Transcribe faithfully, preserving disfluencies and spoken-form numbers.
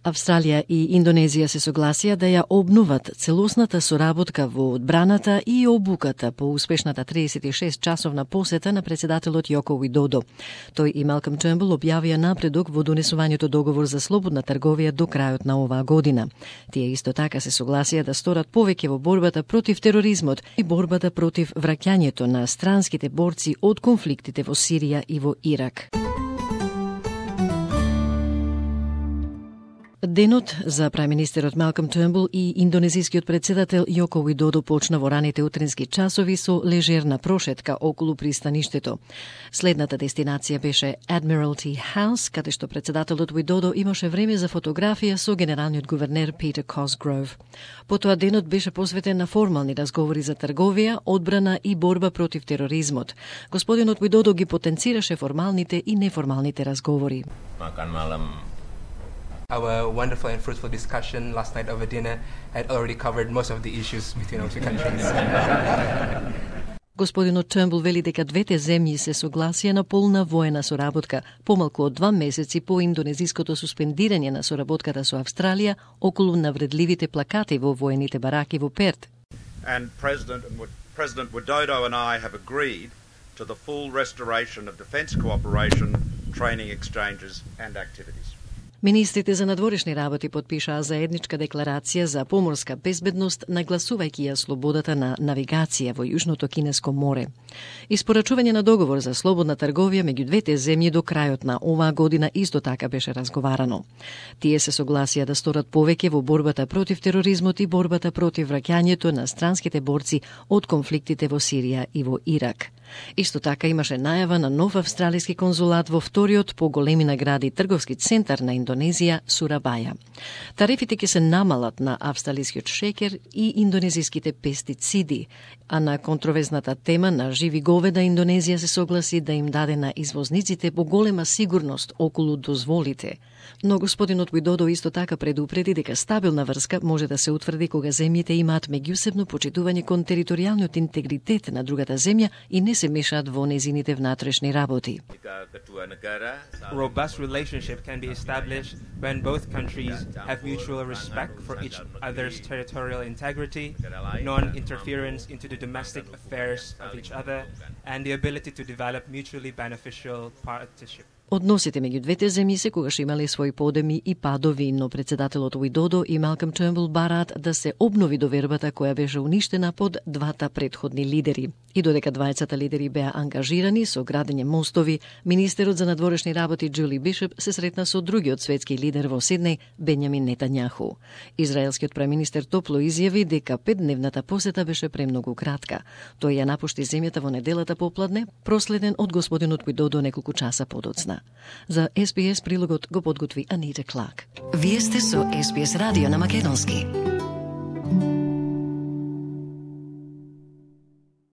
Австралија и Индонезија се согласија да ја обноват целосната соработка во одбраната и обуката по успешната триесет и шест часовна посета на председателот Јоко Уидодо. Тој и Малком Тернбул објавија напредок во донесувањето договор за слободна трговија до крајот на оваа година. Тие исто така се согласија да сторат повеќе во борбата против тероризмот и борбата против враќањето на странските борци од конфликтите во Сирија и во Ирак. Денот за прајминистерот Малком Тернбул и индонезискиот председател Јоко Уидодо почна во раните утрински часови со лежерна прошетка околу пристаништето. Следната дестинација беше Admiralty House, каде што председателот Уидодо имаше време за фотографија со генералниот гувернер Питер Косгров. Потоа денот беше посветен на формални разговори за трговија, одбрана и борба против тероризмот. Господинот Уидодо ги потенцираше формалните и неформалните разговори. Makan malam. Our wonderful and fruitful discussion last night over dinner had already covered most of the issues between our two countries. Господинот Тернбул вели дека двете земји се согласија на полна воена соработка, помалку од два месеци по индонезиското суспендирање на соработката со Австралија околу навредливите плакати во воените бараки во Перт. And President, President Widodo and I have agreed to the full restoration of defence cooperation, training exchanges and activities. Министрите за надворешни работи подпишаа заедничка декларација за поморска безбедност, нагласувајќи ја слободата на навигација во Јужното Кинеско море. Испорачување на договор за слободна трговија меѓу двете земји до крајот на оваа година исто така беше разговарано. Тие се согласија да сторат повеќе во борбата против тероризмот и борбата против враќањето на странските борци од конфликтите во Сирија и во Ирак. Исто така имаше најава на нов австралиски конзулат во вториот по големина град и трговски центар на Индонезија, Сурабаја. Тарифите ќе се намалат на австралискиот шеќер и индонезиските пестициди, а на контровезната тема на живи говеда Индонезија се согласи да им даде на извозниците поголема сигурност околу дозволите. Но господинот Уидодо исто така предупреди дека стабилна врска може да се утврди кога земјите имаат меѓусебно почитување кон територијалниот интегритет на другата земја и не се мешаат во незините внатрешни работи. Robust relationship can be established when both countries have mutual respect for each other's territorial integrity, non-interference into the domestic affairs of each other, and the ability to develop mutually beneficial partnership. Односите меѓу двете земји секогаш имале своји подеми и падови, но председателот Уидодо и Малком Тернбул бараат да се обнови довербата која беше уништена под двата претходни лидери. И додека двајцата лидери беа ангажирани со градење мостови, министерот за надворешни работи Џули Бишоп се сретна со другиот светски лидер во Сиднеј, Бенјамин Нетањаху. Израелскиот преминистер топло изјави дека петдневната посета беше премногу кратка. Тој ја напушти земјата во неделата попладне, проследен од господинот Уидодо неколку часа подоцна. За Ес Би Ес прилогот го подготви Анита Кларк. Вие сте со Ес Би Ес радио на македонски.